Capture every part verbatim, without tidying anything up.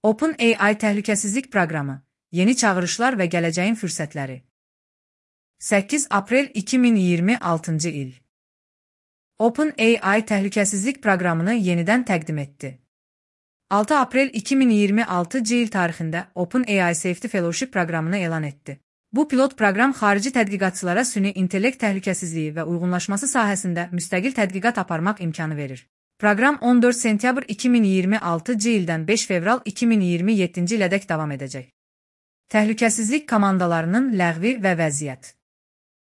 OpenAI təhlükəsizlik proqramı, yeni çağırışlar və gələcəyin fürsətləri. səkkiz aprel iki min iyirmi altıncı il. OpenAI təhlükəsizlik proqramını yenidən təqdim etdi. altı aprel iki min iyirmi altıncı il tarixində OpenAI Safety Fellowship proqramını elan etdi. Bu pilot proqram xarici tədqiqatçılara süni intellekt təhlükəsizliyi və uyğunlaşması sahəsində müstəqil tədqiqat aparmaq imkanı verir. Proqram on dörd sentyabr iki min iyirmi altıncı ildən beş fevral iki min iyirmi yeddinci ilədək davam edəcək. Təhlükəsizlik komandalarının ləğvi və vəziyyət.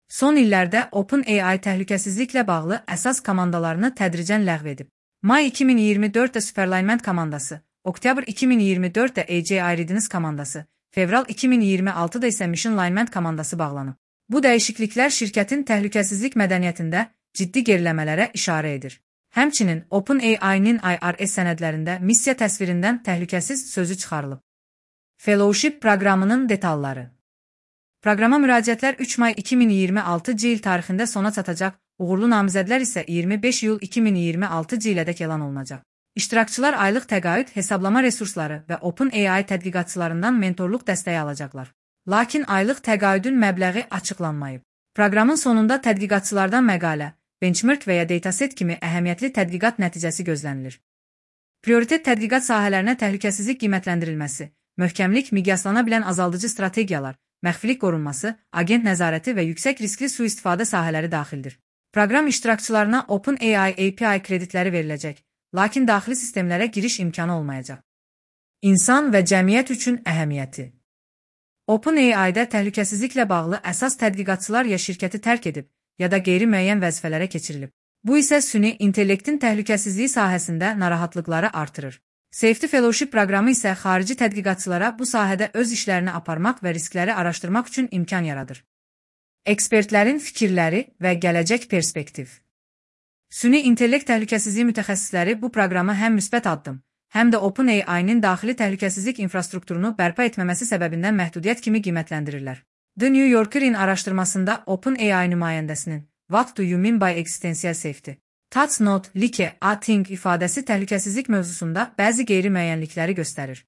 Son illərdə OpenAI təhlükəsizliklə bağlı əsas komandalarını tədricən ləğv edib. May iki min iyirmi dörddə Superalignment komandası, oktyabr iki min iyirmi dörddə A J I Readiness komandası, fevral iki min iyirmi altıda isə Mission Alignment komandası bağlanıb. Bu dəyişikliklər şirkətin təhlükəsizlik mədəniyyətində ciddi geriləmələrə işarə edir. Həmçinin OpenAI-nin I R S sənədlərində missiya təsvirindən təhlükəsiz sözü çıxarılıb. Fellowship proqramının detalları. Proqrama müraciətlər üç may iki min iyirmi altıncı il tarixində sona çatacaq, uğurlu namizədlər isə iyirmi beş iyul iki min iyirmi altıncı ilədək elan olunacaq. İştirakçılar aylıq təqaüd, hesablama resursları və OpenAI tədqiqatçılarından mentorluq dəstəyi alacaqlar. Lakin aylıq təqaüdün məbləği açıqlanmayıb. Proqramın sonunda tədqiqatçılardan məqalə, benchmark və ya dataset kimi əhəmiyyətli tədqiqat nəticəsi gözlənilir. Prioritet tədqiqat sahələrinə təhlükəsizlik qiymətləndirilməsi, möhkəmlik, miqyaslana bilən azaldıcı strategiyalar, məxfilik qorunması, agent nəzarəti və yüksək riskli sui-istifadə sahələri daxildir. Proqram iştirakçılarına OpenAI A P I kreditləri veriləcək, lakin daxili sistemlərə giriş imkanı olmayacaq. İnsan və cəmiyyət üçün əhəmiyyəti. OpenAI-də təhlükəsizliklə bağlı əsas tədqiqatçılar ya şirkəti tərk edib, ya da qeyri-müəyyən vəzifələrə keçirilib. Bu isə süni intellektin təhlükəsizliyi sahəsində narahatlıqları artırır. Safety Fellowship proqramı isə xarici tədqiqatçılara bu sahədə öz işlərini aparmaq və riskləri araşdırmaq üçün imkan yaradır. Ekspertlərin fikirləri və gələcək perspektiv. Süni intellekt təhlükəsizliyi mütəxəssisləri bu proqramı həm müsbət addım, həm də OpenAI-nin daxili təhlükəsizlik infrastrukturunu bərpa etməməsi səbəbindən məhdudiyyət kimi qiymətləndirirlər. The New Yorker-in araşdırmasında OpenAI nümayəndəsinin What do you mean by existential safety? That's not like a thing ifadəsi təhlükəsizlik mövzusunda bəzi qeyri-müəyyənlikləri göstərir.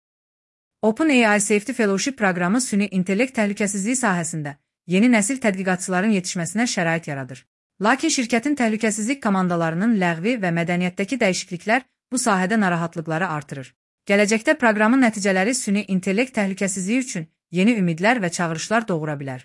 OpenAI Safety Fellowship proqramı süni intellekt təhlükəsizliyi sahəsində yeni nəsil tədqiqatçıların yetişməsinə şərait yaradır. Lakin şirkətin təhlükəsizlik komandalarının ləğvi və mədəniyyətdəki dəyişikliklər bu sahədə narahatlıqları artırır. Gələcəkdə proqramın nəticələri süni intellekt təhlükəsizliyi üçün yeni ümidlər və çağırışlar doğura bilər.